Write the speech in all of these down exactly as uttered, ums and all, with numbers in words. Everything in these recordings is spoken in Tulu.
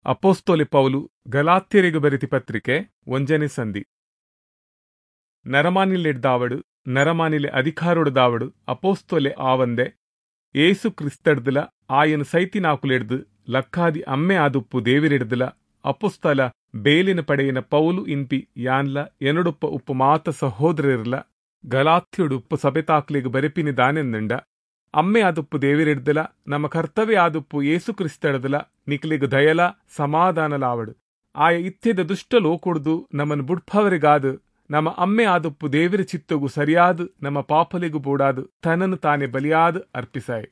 ಅಪೊಸ್ತಲೆ ಪೌಲು ಗಲಾತ್ಯರಿಗೆ ಬರೆತಿ ಪತ್ರಿಕೆ ಒಂಜನೇ ಸಂಧಿ. ನರಮಾನಿಲೆಡ್ದಾವಡು ನರಮಾನಿಲೆ ಅಧಿಕಾರೊಡ್ದಾವಡು ಅಪೊಸ್ತಲೆ ಆವಂದೆ ಏಸು ಕ್ರಿಸ್ತಡ್ದಲ ಆಯನ ಸೈತಿನಾಕುಲೆಡ್ದು ಲಕ್ಕಾದಿ ಅಮ್ಮೆ ಆದುಪ್ಪು ದೇವಿರೆಡ್ದಲ ಅಪೊಸ್ತಲ ಬೇಲಿನ ಪಡೆಯಿನ ಪೌಲು ಇನ್ಪಿ ಯಾನ್ಲ ಎನೊಡುಪ್ಪ ಉಪ್ಪು ಮಾತ ಸಹೋದರರ್ಲ ಗಲಾತ್ಯೊಡು ಉಪ್ಪು ಸಬೆತಾಕ್ಲೆಗ್ ಬರೆಪಿನಿ ದಾನೆಂದಂಡ ಅಮ್ಮೆ ಆದುಪ್ಪು ದೇವಿರೆಡ್ದಲ ನಮ್ಮ ಕರ್ತವ್ಯ ಆದುಪ್ಪು ಏಸು ಕ್ರಿಸ್ತಡ್ದಲ ನಿಕ್ಲೆಗ್ ದಯಲ ಸಮಾಧಾನಲಾವಡು. ಆಯ ಇತ್ಯದ ದುಷ್ಟ ಲೋಕೊಡ್ದು ನಮ್ಮನ್ನು ಬುಡ್ಪವರಿಗಾದು ನಮ್ಮ ಅಮ್ಮೆ ಆದುಪ್ಪು ದೇವಿರ ಚಿತ್ತಗು ಸರಿಯಾದ ನಮ್ಮ ಪಾಪಲಿಗೂ ಬೋಡಾದು ತನ್ನನ್ನು ತಾನೇ ಬಲಿಯಾದ ಅರ್ಪಿಸಾಯ್.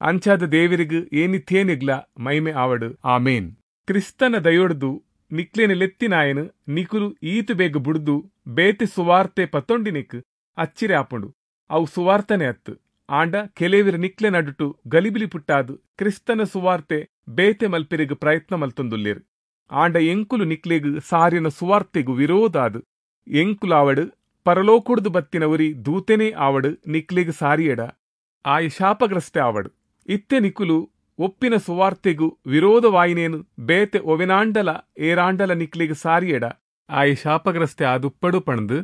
ಅಂಚಾದ ದೇವಿರಿಗು ಏನಿತ್ಯೇನಿಗ್ಲ ಮೈಮೆ ಆವಡು. ಆಮೇನ್. ಕ್ರಿಸ್ತನ ದಯೊಡ್ದು ನಿಕ್ಲೇನ ಲೆತ್ತಿನಾಯನು ನಿಕುಲು ಈತು ಬೇಗ ಬುಡ್ದು ಬೇತೆ ಸುವಾರ್ತೆ ಪತ್ತೊಂಡಿನಿಕ್ ಅಚ್ಚಿರೆ ಆಪುಂಡು. ಅವು ಸುವಾರ್ತನೆ ಅತ್ತು. ಆಂಡ ಕೆಲವಿರ ನಿಕ್ಲೆ ನಡುಟು ಗಲಿಬಿಲಿ ಪುಟ್ಟಾದು ಕ್ರಿಸ್ತನ ಸುವಾರ್ತೆ ಬೇತೆ ಮಲ್ಪೆರೆಗ್ ಪ್ರಯತ್ನ ಮಲ್ತೊಂದುಲ್ಲೇರು. ಆಂಡ ಎಂಕುಲು ನಿಕ್ಲೆಗ್ ಸಾರಿನ ಸುವಾರ್ತೆಗು ವಿರೋಧಾದು ಎಂಕುಲಾವಡು ಪರಲೋಕುಡ್ದು ಬತ್ತಿನ ಉರಿ ದೂತೆನೇ ಆವಡು ನಿಕ್ಲೆಗ್ ಸಾರಿಯಡ ಆಯ ಶಾಪಗ್ರಸ್ತೆ ಆವಡು. ಇತ್ತೆ ನಿಕುಲು ಒಪ್ಪಿನ ಸುವಾರ್ತೆಗು ವಿರೋಧವಾಯಿನೇನು ಬೇತೆ ಒವೆನಾಂಡಲ ಏರಾಂಡಲ ನಿಕ್ಲೆಗ್ ಸಾರಿಯಡ ಆಯ ಶಾಪಗ್ರಸ್ತೆ ಆದುಪ್ಪಡು ಪಣದು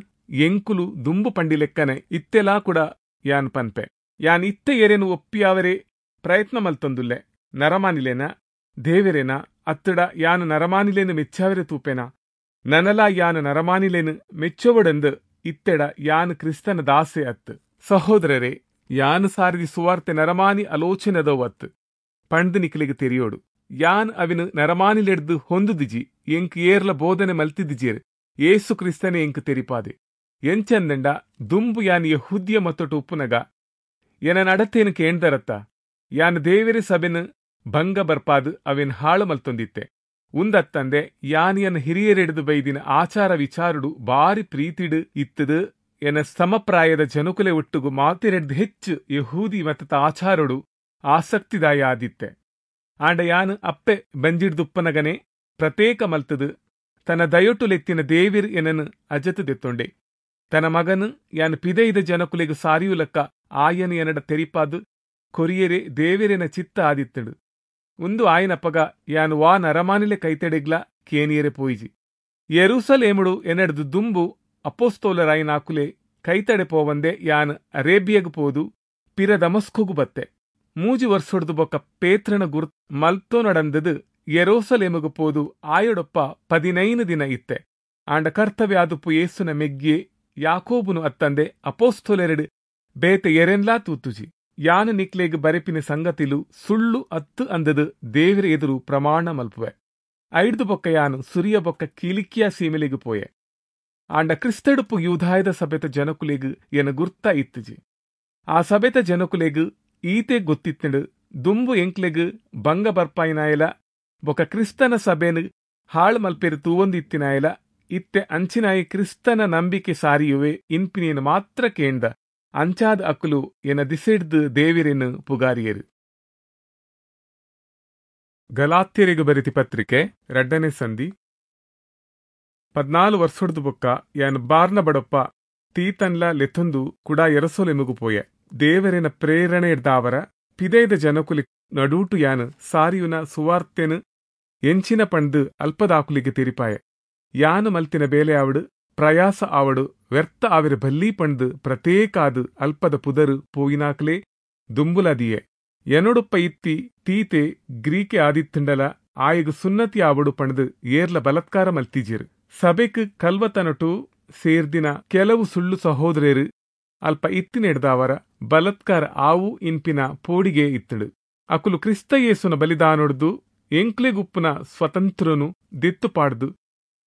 ಎಂಕುಲು ದುಂಬು ಪಂಡಿಲೆಕ್ಕನೆ ಇತ್ತೆಲಾ ಕೂಡ ಯಾನ್ ಪನ್ಪೆ. ಯಾನ್ ಇತ್ತೆ ಎರೆನು ಒಪ್ಪಿಯಾವರೆ ಪ್ರಯತ್ನ ಮಲ್ತೊಂದುಲ್ಲೆ. ನರಮಾನಿಲೇನ ದೇವೆರೇನ ಅತ್ತಡ ಯಾನು ನರಮಾನಿಲೇನು ಮೆಚ್ಚಾವರೆ ತೂಪೆನ? ನನಲ ಯಾನು ನರಮಾನಿಲೇನು ಮೆಚ್ಚೊವಡೆಂದು ಇತ್ತೆಡ ಯಾನು ಕ್ರಿಸ್ತನ ದಾಸೆ ಅತ್ತು. ಸಹೋದರರೇ, ಯಾನು ಸಾರಿದಿ ಸುವಾರ್ತೆ ನರಮಾನಿ ಆಲೋಚನೆದವು ಅತ್ತು ಪಂಡ್ ನಿಕ್ಲೆಗ್ ತೆರಿಯೋಡು. ಯಾನ್ ಅವಿನ ನರಮಾನಿಲೆಡ್ದು ಹೊಂದುದಿಜಿ, ಎಂಕ್ ಏರ್ಲ ಬೋಧನೆ ಮಲ್ತಿದಿಜೇರು, ಏಸು ಕ್ರಿಸ್ತನೇ ಎಂಕ್ ತೆರಿಪಾದೆ. ಎಂಚಂದಂಡ ದುಂಬು ಯಾನ್ ಯೆಹೂದ್ಯ ಮತ್ತೊಟ್ಟು ಉಪ್ಪುನಗ ಎನ ನಡತೇನು ಕೇಂದರತ್ತ ಯಾನ್ ದೇವೆರೆ ಸಭೆನು ಭಂಗ ಬರ್ಪಾದು ಅವೇನ್ ಹಾಳು ಮಲ್ತೊಂದಿತ್ತೆ. ಉಂದತ್ತಂದೆ ಯಾನ್ ಎನ್ನ ಹಿರಿಯರೆಡ್ದು ಬೈದಿನ ಆಚಾರ ವಿಚಾರುಡು ಬಾರಿ ಪ್ರೀತಿಡು ಇತ್ತದು. ಎನ ಸಮಪ್ರಾಯದ ಜನಕುಲೆ ಒಟ್ಟುಗು ಮಾತೆರೆಡ್ದು ಹೆಚ್ಚು ಯಹೂದಿ ಮತದ ಆಚಾರಡು ಆಸಕ್ತಿದಾಯ ಆದಿತ್ತೆ. ಆಂಡ ಯಾನ್ ಅಪ್ಪೆ ಬಂಜಿಡ್ದುಪ್ಪನಗನೆ ಪ್ರತ್ಯೇಕ ಮಲ್ತದು ತನ್ನ ದಯೊಟ್ಟುಲೆತ್ತಿನ ದೇವಿರ್ ಎನನು ಅಜತು ದೆತ್ತೊಂಡೆ. ತನ್ನ ಮಗನು ಯಾನ್ ಪಿದೈದ ಜನಕುಲೆಗು ಸಾರಿಯುಲಕ್ಕ ಆಯನು ಎನಡ ತೆರಿಪಾದು ಕೊರಿಯರೆ ದೇವಿರೆನ ಚಿತ್ತ ಆದಿತ್ತಡು. ಉಂದು ಆಯನಪ್ಪಗ ಯಾನು ವಾ ನರಮಾನಿಲೆ ಕೈತೆಡೆಗ್ಲ ಕೇನಿಯರೆ ಪೋಯಿಜಿ. ಯೆರೂಸಲೇಮುಡು ಎನಡ್ದು ದುಂಬು ಅಪೊಸ್ತೋಲರಾಯಿನಾಕುಲೆ ಕೈತಡೆ ಪೋವಂದೆ ಯಾನ್ ಅರೇಬಿಯಗ್ ಪೋದು ಪಿರ ದಮಸ್ಕುಗು ಬತ್ತೆ. ಮೂಜಿ ವರ್ಷೊಡ್ದು ಬೊಕ್ಕ ಪೇತ್ರನ ಗುರ್ ಮಲ್ತೋ ನಡಂದದು ಯೆರೂಸಲೇಮುಗು ಪೋದು ಆಯೊಡೊಪ್ಪ ಪದಿನೈನು ದಿನ ಇತ್ತೆ. ಆಂಡ ಕರ್ತವ್ಯ ಆದುಪ್ಪು ಯೇಸುನ ಮೆಗ್ಗಿಯೇ ಯಾಕೋಬುನು ಅತ್ತಂದೆ ಅಪೊಸ್ತೋಲೆರಡು ಬೇತೆ ಎರೆನ್ಲಾ ತೂತುಜಿ. ಯಾನು ನಿಕ್ಲೆಗ್ ಬರೆಪಿನ ಸಂಗತಿಲು ಸುಳ್ಳು ಅತ್ತು ಅಂದದು ದೇವಿರ ಎದುರು ಪ್ರಮಾಣ ಮಲ್ಪುವೆ. ಐಡ್ದು ಬೊಕ್ಕ ಯಾನು ಸುರಿಯ ಬೊಕ್ಕ ಕಿಲಿಕಿಯ ಸೀಮೆಲೆಗ್ ಪೋಯೆ. ಆಂಡ ಕ್ರಿಸ್ತಡುಪು ಯೂದಾಯದ ಸಭೆತ ಜನಕುಲೆಗ್ ಎನ ಗುರ್ತ ಇತ್ತುಜಿ. ಆ ಸಭೆತ ಜನಕುಲೆಗ್ ಈತೆ ಗೊತ್ತಿತ್ತಂಡು ದುಂಬು ಎಂಕ್ಲೆಗ್ ಭಂಗ ಬರ್ಪಾಯಿನಾಯಲ ಬೊಕ್ಕ ಕ್ರಿಸ್ತನ ಸಭೆನು ಹಾಳು ಮಲ್ಪೆರು ತೂವೊಂದಿತ್ತಿನಾಯಲ ಇತ್ತೆ ಅಂಚಿನಾಯಿ ಕ್ರಿಸ್ತನ ನಂಬಿಕೆ ಸಾರಿಯುವೆ ಇನ್ಪಿನೇನು ಮಾತ್ರ ಕೇಂದ. ಅಂಚಾದ ಅಕುಲು ಎನ ದಿಸೆಡ್ದು ದೇವಿರೆನು ಪುಗಾರಿಯರು. ಗಲಾತ್ಯರಿಗೆ ಬರೆತಿ ಪತ್ರಿಕೆ ರಡ್ಡನೇ ಸಂಧಿ. ಪದ್ನಾಲು ವರ್ಷೊಡ್ದು ಬೊಕ್ಕ ಯಾನು ಬಾರ್ನ ಬಡಪ್ಪ ತೀತನ್ಲ ಲೆತ್ತೊಂದು ಕುಡ ಯೆರೂಸಲೇಮುಗು ಪೋಯೆ. ದೇವರೆನ ಪ್ರೇರಣೆ ಇಡ್ದಾವರ ಪಿದೈದ ಜನಕುಲಿ ನಡೂಟು ಯಾನು ಸಾರಿಯುನ ಸುವಾರ್ತೆನು ಎಂಚಿನ ಪಂಡು ಅಲ್ಪದಾಕುಲಿಗೆ ತೆರಿಪಾಯೆ. ಯಾನು ಮಲ್ತಿನ ಬೇಲೆ ಆವಡು ಪ್ರಯಾಸ ಆವಡು ವ್ಯರ್ಥ ಆವಿರ ಬಲ್ಲಿ ಪಂಡು ಪ್ರತ್ಯೇಕಾದು ಅಲ್ಪದ ಪುದರು ಪೋಯಿನಾಕ್ಲೆ ದುಂಬುಲದಿಯೆ. ಎನೊಡುಪ್ಪ ಇತ್ತಿ ತೀತೆ ಗ್ರೀಕೆ ಆದಿತ್ತಂಡಲ ಆಯಗು ಸುನ್ನತಿ ಆವಡು ಪಂಡು ಏರ್ಲ ಬಲತ್ಕಾರ ಮಲ್ತಿಜೇರು. ಸಭೆಕ್ ಕಲ್ವತನಟು ಸೇರ್ದಿನ ಕೆಲವು ಸುಳ್ಳು ಸಹೋದರರು ಅಲ್ಪ ಇತ್ತಿನೆಡ್ದಾವರ ಬಲತ್ಕಾರ ಆವು ಇನ್ಪಿನ ಪೋಡಿಗೆ ಇತ್ತಳು. ಅಕುಲು ಕ್ರಿಸ್ತ ಯೇಸುನ ಬಲಿದಾನೊಡ್ದು ಎಂಕ್ಲೆಗುಪ್ಪುನ ಸ್ವತಂತ್ರನು ದೆತ್ತು ಪಾಡ್ದು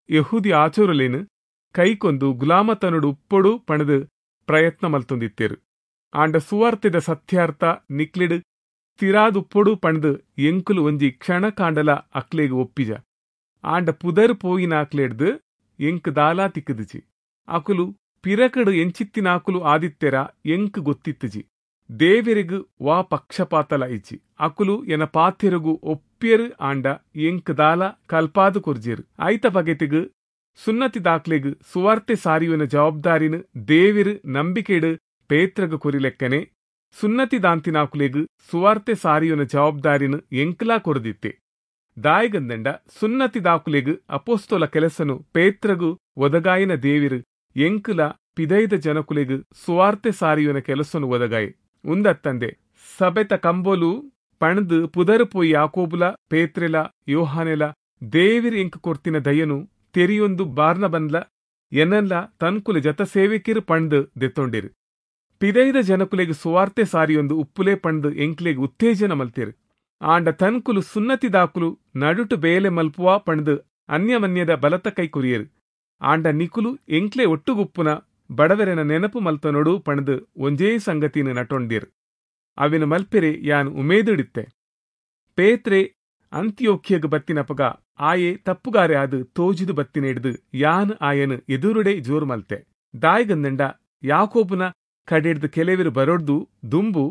ಯಹೂದಿ ಆಚೋರಲೇನು ಕೈಕೊಂದು ಗುಲಾಮತನುಡು ಉಪ್ಪೊಡು ಪಣದು ಪ್ರಯತ್ನ ಮಲ್ತೊಂದಿತ್ತೇರು. ಆಂಡ ಸುವಾರ್ತೆದ ಸತ್ಯಾರ್ಥ ನಿಕ್ಲೆಡು ತಿರಾದುಪ್ಪೊಡು ಪಣದು ಎಂಕುಲು ಒಂಜಿ ಕ್ಷಣ ಕಾಂಡಲ ಅಕ್ಲೆಗ್ ಒಪ್ಪಿಜ. ಆಂಡ ಪುದರ್ ಪೋಯಿನ ಅಕ್ಲೆಡ್ದು ಎಂಕ್ ದಾಲಾ ತಿಕ್ಕುದಿಜಿ. ಅಕುಲು ಪಿರಕಡು ಎಂಚಿತ್ತಿನಾಕುಲು ಆದಿತ್ತೆರ ಎಂಕ್ ಗೊತ್ತಿತ್ತುಜಿ. ದೇವೆರಿಗ್ ವಾ ಪಕ್ಷಪಾತಲ ಇಜ್ಜಿ. ಅಕುಲು ಎನ ಪಾತೆರುಗು ಒಪ್ಪಿಯರು ಆಂಡ ಎಂಕ್ ದಾಲ ಕಲ್ಪಾದು ಕೊರ್ಜೇರು. ಐತ ಬಗೆತಿಗ್ ಸುನ್ನತಿ ದಾಕ್ಲೆಗ್ ಸುವಾರ್ತೆ ಸಾರಿಯುನ ಜವಾಬ್ದಾರಿನ ದೇವಿರು ನಂಬಿಕೆಡು ಪೇತ್ರಗ್ ಕೊರಿಲೆಕ್ಕನೆ ಸುನ್ನತಿ ದಾಂತಿನಾಕುಲೆಗ್ ಸುವಾರ್ತೆ ಸಾರಿಯುನ ಜವಾಬ್ದಾರಿನ ಎಂಕ್ಲಾ ಕೊರದಿತ್ತೆ. ದಾಯಿಗಂದಂಡ ಸುನ್ನತಿದಾಕುಲೆಗ್ ಅಪೊಸ್ತಲ ಕೆಲಸನು ಪೇತ್ರಗು ಒದಗಾಯಿನ ದೇವಿರು ಎಂಕುಲ ಪಿದೈದ ಜನಕುಲೆಗ್ ಸುವಾರ್ತೆ ಸಾರಿಯುನ ಕೆಲಸನು ಒದಗಾಯಿ. ಉಂದತ್ತಂದೆ ಸಬೆತ ಕಂಬೊಲು ಪಣದು ಪುದರು ಪೋಯಿ ಯಾಕೋಬುಲ ಪೇತ್ರೆಲ ಯೋಹಾನೆಲ ದೇವಿರು ಎಂಕ್ ಕೊರ್ತಿನ ದಯನು ತೆರಿಯೊಂದು ಬಾರ್ನಬನ್ಲ ಎನ್ನಲ್ಲ ತನ್ಕುಲೆ ಜತ ಸೇವಕಿರು ಪಣ್ದು ದೆತ್ತೊಂಡಿರು. ಪಿದೈದ ಜನಕುಲೆಗ್ ಸುವಾರ್ತೆ ಸಾರಿಯೊಂದು ಉಪ್ಪುಲೆ ಪಣ್ದು ಎಂಕ್ಲೆಗ್ ಉತ್ತೇಜನ ಮಲ್ತಿರು. ಆಂಡ ತನ್ಕುಲು ಸುನ್ನತಿದಾಕುಲು ನಡುಟು ಬೇಲೆ ಮಲ್ಪುವಾ ಪಣ್ದು ಅನ್ಯಮನ್ಯದ ಬಲತ ಕೈ ಕೊರಿಯರು. ಆಂಡ ನಿಕುಲು ಎಂಕ್ಲೆ ಒಟ್ಟುಗುಪ್ಪುನ ಬಡವರೆನ ನೆನಪು ಮಲ್ತನೊಡು ಪಣ್ದು ಒಂಜೇ ಸಂಗತಿನ ನಟೊಂಡಿರು. ಅವಿನ ಮಲ್ಪೆರೆ ಯಾನ್ ಉಮೇದಿಡಿತ್ತೆ. ಪೇತ್ರೆ ಅಂತ್ಯೋಖ್ಯಗ್ ಬತ್ತಿನಪಗ ಆಯೆ ತಪ್ಪುಗಾರೆ ಆದ್ ತೋಜಿದು ಬತ್ತಿನ ಹಿಡ್ದು ಯಾನ್ ಆಯನು ಎದುರುಡೆ ಜೋರು ಮಲ್ತೆ. ದಾಯಿಗಂದಂಡ ಯಾಕೋಬುನ ಕಡೆಡ್ದು ಕೆಲವರು ಬರೊಡ್ದು ದುಂಬು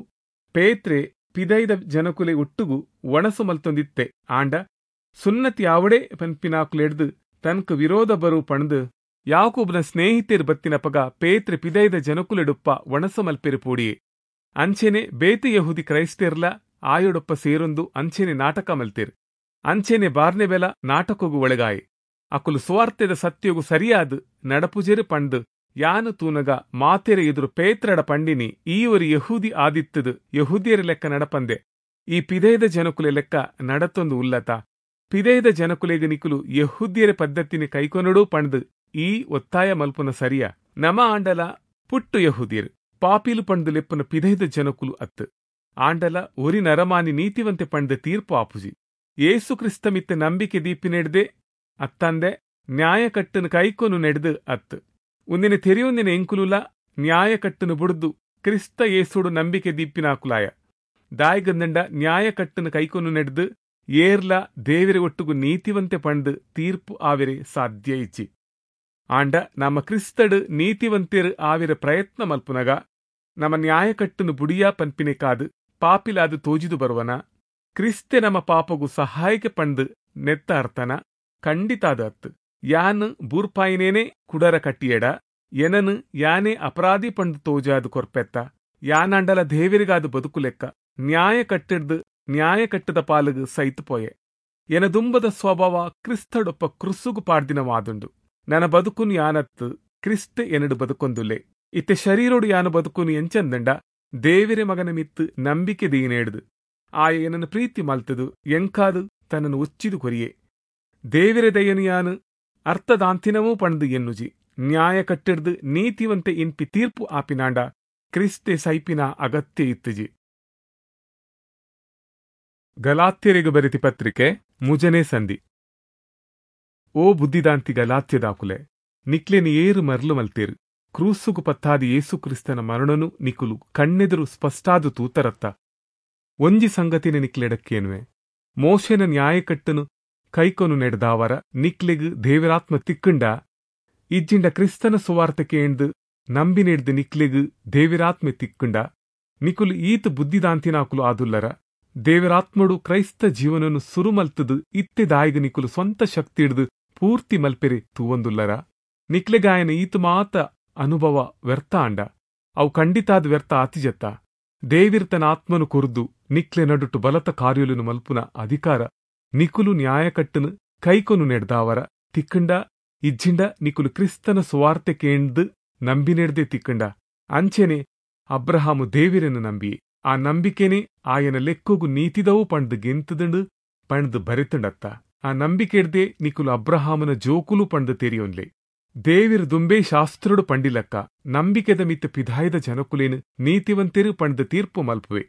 ಪೇತ್ರೆ ಪಿದೈದ ಜನಕುಲೆ ಒಟ್ಟುಗು ಒಣಸು ಮಲ್ತೊಂದಿತ್ತೆ. ಆಂಡ ಸುನ್ನತಿ ಆವಡೆ ಪನ್ಪಿನಾಕುಲೆಡ್ದು ತನ್ಕ ವಿರೋಧ ಬರು ಪಣ್ದು ಯಾಕೋಬುನ ಸ್ನೇಹಿತೆರು ಬತ್ತಿನಪಗ ಪೇತ್ರೆ ಪಿದೈದ ಜನಕುಲೆಡುಪ್ಪ ಒಣಸು ಮಲ್ಪೆರು ಪೋಡಿಯೆ. ಅಂಚೆನೆ ಬೇತೆ ಯಹೂದಿ ಕ್ರೈಸ್ತೆರ್ಲ ಆಯೊಡೊಪ್ಪ ಸೇರೊಂದು ಅಂಚೆನೆ ನಾಟಕ ಮಲ್ತೇರು. ಅಂಚೆನೆ ಬಾರ್ನೆಬೆಲ ನಾಟಕೊಗು ಒಳಗಾಯಿ. ಅಕುಲು ಸುವಾರ್ತೆದ ಸತ್ಯೊಗು ಸರಿಯಾದ ನಡಪುಜೆರು ಪಂಡು ಯಾನು ತೂನಗ ಮಾತೆರೆ ಎದುರು ಪೇತ್ರಡ ಪಂಡಿನಿ, ಈ ಒರಿ ಯಹೂದಿ ಆದಿತ್ತದು ಯಹೂದಿಯರ ಲೆಕ್ಕ ನಡಪಂದೆ ಈ ಪಿದೈದ ಜನಕುಲೆ ಲೆಕ್ಕ ನಡತೊಂದು ಉಲ್ಲತ. ಪಿದೈದ ಜನಕುಲೆಗ್ ನಿಕುಲು ಯಹೂದ್ಯರ ಪದ್ಧತಿನಿ ಕೈಕೊನಡು ಪಂಡ್ದು ಈ ಒತ್ತಾಯ ಮಲ್ಪುನ ಸರಿಯ? ನಮ ಆಂಡಲ ಪುಟ್ಟು ಯಹೂದಿಯರು, ಪಾಪಿಲು ಪಂಡ್ದು ಲೆಪ್ಪುನ ಪಿದೈದ ಜನಕುಲು ಅತ್ತು. ಆಂಡಲ ಒರಿ ನರಮಾನಿ ನೀತಿವಂತೆ ಪಂಡ್ದು ತೀರ್ಪು ಆಪುಜಿ. ಯೇಸು ಕ್ರಿಸ್ತ ಮಿತ್ತ ನಂಬಿಕೆ ದೀಪಿ ನೆಡ್ದೆ ಅತ್ತಂದೆ ನ್ಯಾಯಕಟ್ಟನು ಕೈಕೊನು ನೆಡ್ದು ಅತ್ತು. ಒಂದಿನ ತೆರೆಯೊಂದಿನ ಎಂಕುಲುಲ ನ್ಯಾಯಕಟ್ಟನು ಬುಡ್ದು ಕ್ರಿಸ್ತ ಯೇಸುಡು ನಂಬಿಕೆ ದೀಪಿನಾಕುಲಾಯ. ದಾಯಿಗಂದಂಡ ನ್ಯಾಯಕಟ್ಟನು ಕೈಕೊನು ನೆಡ್ದು ಏರ್ಲ ದೇವಿರ ಒಟ್ಟುಗು ನೀತಿವಂತೆ ಪಂಡ್ದು ತೀರ್ಪು ಆವಿರೆ ಸಾಧ್ಯ ಇಚ್ಚಿ. ಆಂಡ ನಮ್ಮ ಕ್ರಿಸ್ತಡು ನೀತಿವಂತೆರು ಆವಿರ ಪ್ರಯತ್ನ ಮಲ್ಪುನಗ ನಮ್ಮ ನ್ಯಾಯಕಟ್ಟನು ಬುಡಿಯಾ ಪನ್ಪಿನೆ ಕಾದು ಪಾಪಿಲಾದು ತೋಜಿದು ಬರುವನ? ಕ್ರಿಸ್ತೆ ನಮ್ಮ ಪಾಪಗು ಸಹಾಯಕ್ಕೆ ಪಂಡು ನೆತ್ತ ಅರ್ಥನ? ಖಂಡಿತಾದ ಅತ್ತು. ಯಾನ್ ಬೂರ್ಪಾಯಿನೇನೆ ಕುಡರ ಕಟ್ಟಿಯಡ ಎನನು ಯಾನೇ ಅಪರಾಧಿ ಪಂಡು ತೋಜಾದು ಕೊರ್ಪೆತ್ತ. ಯಾನಂಡಲ ದೇವಿರಿಗಾದು ಬದುಕು ಲೆಕ್ಕ ನ್ಯಾಯ ಕಟ್ಟಿಡ್ದು ನ್ಯಾಯ ಕಟ್ಟದ ಪಾಲುಗು ಸೈತು ಪೋಯೆ. ಎನ ದುಂಬದ ಸ್ವಭಾವ ಕ್ರಿಸ್ತಡೊಪ್ಪ ಕ್ರುಸುಗು ಪಾಡ್ದಿನವಾದುಂಡು. ನನ್ನ ಬದುಕುನು ಯಾನತ್ತು ಕ್ರಿಸ್ತ ಎನಡು ಬದುಕೊಂದುಲ್ಲೆ. ಇತ್ತೆ ಶರೀರೋಡು ಯಾನು ಬದುಕುನು ಎಂಚಂದಂಡ ದೇವಿರೆ ಮಗನ ಮಿತ್ತು ನಂಬಿಕೆ ದೀನೇಡ್ದು ಆಯ ಏನನ್ನು ಪ್ರೀತಿ ಮಲ್ತದು ಎಂಕಾದು ತನ್ನನ್ನು ಉಚ್ಚಿದು ಕೊರಿಯೆ. ದೇವಿರೆ ದಯನು ಯಾನು ಅರ್ಥದಾಂತಿನವೂ ಪಣದು ಎನ್ನುಜಿ. ನ್ಯಾಯ ಕಟ್ಟಿಡ್ದು ನೀತಿವಂತೆ ಇನ್ಪಿ ತೀರ್ಪು ಆಪಿನಾಂಡ ಕ್ರಿಸ್ತೆ ಸೈಪಿನ ಅಗತ್ಯ ಇತ್ತುಜಿ. ಗಲಾತ್ಯರಿಗೆ ಬರೆತಿ ಪತ್ರಿಕೆ ಮುಜನೆ ಸಂಧಿ. ಓ ಬುದ್ಧಿದಾಂತಿ ಗಲಾತ್ಯದಾಕುಲೆ, ನಿಕ್ಲೆನಿ ಏರು ಮರ್ಲು ಮಲ್ತೇರು. ಕ್ರೂಸುಗು ಪತ್ತಾದಿ ಯೇಸು ಕ್ರಿಸ್ತನ ಮರಣನು ನಿಕುಲು ಕಣ್ಣೆದುರು ಸ್ಪಷ್ಟಾದು ತೂತರತ್ತ. ಒಂಜಿ ಸಂಗತಿನ ನಿಕ್ಲೆಡಕ್ಕೇನುವೆ, ಮೋಶೆನ ನ್ಯಾಯಕಟ್ಟನು ಕೈಕೊನು ನೆಡ್ದಾವರ ನಿಕ್ಲೆಗ್ ದೇವರಾತ್ಮ ತಿಕ್ಕಂಡ ಇಜ್ಜಿಂಡ ಕ್ರಿಸ್ತನ ಸುವಾರ್ತಕ್ಕೆ ನಂಬಿ ನೆಡ್ದು ನಿಕ್ಲೆಗ್ ದೇವಿರಾತ್ಮೆ ತಿಕ್ಕಂಡ ನಿಕುಲು ಈತ ಬುದ್ಧಿದಾಂತಿನಾಕುಲು ಆದುಲ್ಲರ. ದೇವರಾತ್ಮಡು ಕ್ರೈಸ್ತ ಜೀವನನು ಸುರುಮಲ್ತದು ಇತ್ತೆ ದಾಯಿಗ ನಿಕುಲು ಸ್ವಂತ ಶಕ್ತಿ ಹಿಡ್ದು ಪೂರ್ತಿ ಮಲ್ಪೆರೆ ತೂವಂದುಲ್ಲರ. ನಿಕ್ಲೆಗಾಯನ ಈತ ಮಾತ ಅನುಭವ ವ್ಯರ್ಥ ಆಂಡ ಅವು ಖಂಡಿತಾದ ವ್ಯರ್ಥ ಆತಿಜತ್ತ. ದೇವಿರ್ತನ ಆತ್ಮನು ಕೊರ್ದು ನಿಕ್ಲೆ ನಡುಟು ಬಲತ ಕಾರ್ಯಲುನು ಮಲ್ಪುನ ಅಧಿಕಾರ ನಿಕುಲು ನ್ಯಾಯಕಟ್ಟನು ಕೈಕೊನು ನೆಡ್ದಾವರ ತಿಕ್ಕಂಡ ಇಜ್ಜಿಂಡ ನಿಕುಲು ಕ್ರಿಸ್ತನ ಸುವಾರ್ತೆ ಕೇಂದು ನಂಬಿ ನೆಡ್ದೆ ತಿಕ್ಕಂಡ. ಅಂಚೆನೆ ಅಬ್ರಹಾಮು ದೇವಿರನ್ನು ನಂಬಿ ಆ ನಂಬಿಕೆನೆ ಆಯನ ಲೆಕ್ಕೊಗು ನೀತಿದವು ಪಂಡ್ದು ಗೆಂತುದುಂಡು ಪಂಡ್ದು ಬರೆತುಂಡತ್ತ. ಆ ನಂಬಿಕೆಡ್ದೆ ನಿಕುಲು ಅಬ್ರಹಾಮನ ಜೋಕುಲು ಪಂಡ್ದು ತೆರಿಯೊನ್ಲೆ. ದೇವಿರು ದುಂಬೆ ಶಾಸ್ತ್ರುಡು ಪಂಡಿಲಕ್ಕ ನಂಬಿಕೆದ ಮಿತ್ತ ಪಿದಾಯದ ಜನಕುಲೇನು ನೀತಿವಂತೆರು ಪಂಡ್ದು ತೀರ್ಪು ಮಲ್ಪುವೆ.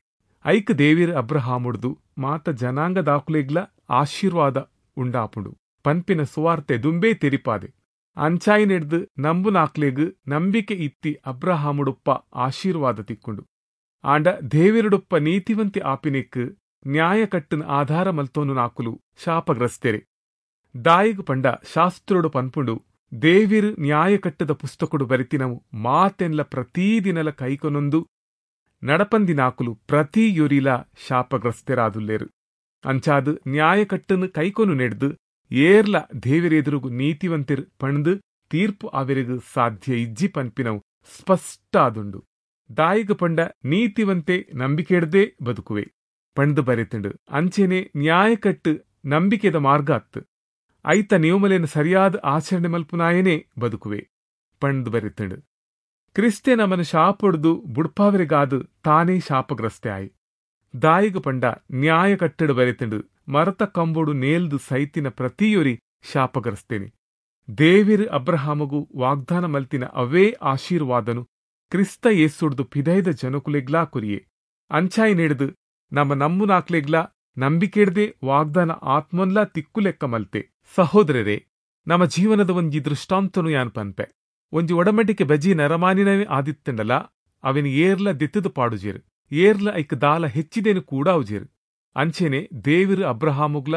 ಐಕ್ ದೇವಿರು ಅಬ್ರಹಾಮುಡ್ದು ಮಾತ ಜನಾಂಗದಾಕುಲೆಗ್ಲ ಆಶೀರ್ವಾದ ಉಂಡಾಪುಂಡು ಪನ್ಪಿನ ಸುವಾರ್ತೆ ದುಂಬೇ ತೆರಿಪಾದೆ. ಅಂಚಾಯಿನೆಡ್ದು ನಂಬುನಾಕ್ಲೆಗ್ ನಂಬಿಕೆ ಇತ್ತಿ ಅಬ್ರಹಾಮುಡುಪ್ಪ ಆಶೀರ್ವಾದ ತಿಕ್ಕೊಂಡು. ಆಂಡ ದೇವಿರುಡುಪ್ಪ ನೀತಿವಂತಿ ಆಪಿನೆಕ್ ನ್ಯಾಯಕಟ್ಟನ ಆಧಾರ ಮಲ್ತೋನು ನಾಕುಲು ಶಾಪಗ್ರಸ್ತೆರೆ. ದಾಯಿಗು ಪಂಡ ಶಾಸ್ತ್ರುಡು ಪನ್ಪುಂಡು, ದೇವಿರು ನ್ಯಾಯಕಟ್ಟದ ಪುಸ್ತಕಡು ಬರಿತಿನವು ಮಾತೆನ್ಲ ಪ್ರತೀದಿನಲ ಕೈಕೊನೊಂದು ನಡಪಂದಿನಾಕುಲು ಪ್ರತಿಯೊರಿಲ ಶಾಪಗ್ರಸ್ತೆರಾದುಲ್ಲೇರು. ಅಂಚಾದು ನ್ಯಾಯಕಟ್ಟನು ಕೈಕೊನು ನೆಡ್ದು ಏರ್ಲ ದೇವಿರೆದುರುಗು ನೀತಿವಂತಿರ್ ಪಣ್ದು ತೀರ್ಪು ಅವರಿಗು ಸಾಧ್ಯ ಇಜ್ಜಿ ಪನ್ಪಿನವು ಸ್ಪಷ್ಟ ಆದುಂಡು. ದಾಯಿಗು ಪಂಡ ನೀತಿವಂತೆ ನಂಬಿಕೆಡ್ದೇ ಬದುಕುವೆ ಪಣ್ದು ಬರೆತುಂಡು. ಅಂಚೆನೆ ನ್ಯಾಯಕಟ್ಟು ನಂಬಿಕೆದ ಮಾರ್ಗ ಅತ್ತು. ಐತ ನಿಯಮಲೇನು ಸರಿಯಾದ ಆಚರಣೆ ಮಲ್ಪುನಾಯನೇ ಬದುಕುವೆ ಪಂಡ್ದು ಬರೆತಂಡು. ಕ್ರಿಸ್ತೆ ನಮನ ಶಾಪೊಡ್ದು ಬುಡ್ಪಾವರಿಗಾದು ತಾನೇ ಶಾಪಗ್ರಸ್ತೆ ಆಯಿ. ದಾಯಿಗು ಪಂಡ ನ್ಯಾಯ ಕಟ್ಟಡು ಬರೆತಂಡು, ಮರತ ಕಂಬೋಡು ನೇಲ್ದು ಸೈತಿನ ಪ್ರತಿಯೊರಿ ಶಾಪಗ್ರಸ್ತೇನೆ. ದೇವಿರು ಅಬ್ರಹಾಮಗು ವಾಗ್ದಾನ ಮಲ್ತಿನ ಅವೇ ಆಶೀರ್ವಾದನು ಕ್ರಿಸ್ತ ಯೇಸುಡ್ದು ಪಿದೈದ ಜನಕುಲೆಗ್ಲಾ ಕುರಿಯೆ. ಅಂಚಾಯಿ ನೆಡ್ದು ನಮ್ಮ ನಂಬುನಾಕ್ಲೆಗ್ಲಾ ನಂಬಿಕೆಡ್ದೆ ವಾಗ್ದಾನ ಆತ್ಮನ್ಲಾ ತಿಕ್ಕುಲೆಕ್ಕ ಮಲ್ತೆ. ಸಹೋದರರೇ, ನಮ್ಮ ಜೀವನದ ಒಂಜಿ ದೃಷ್ಟಾಂತನು ಯಾನ್ ಪನ್ಪೆ. ಒಂಜಿ ಒಡಮಟಿಕೆ ಬಜಿ ನರಮಾನಿನವೇ ಆದಿತ್ತಂಡಲ ಅವಿನ ಏರ್ಲ ದಿತ್ತದು ಪಾಡುಜೇರು, ಏರ್ಲ ಐಕ್ ದಾಲ ಹೆಚ್ಚಿದೇನು ಕೂಡಾವುಜೇರು. ಅಂಚೆನೆ ದೇವಿರು ಅಬ್ರಹಾಮುಗ್ಲ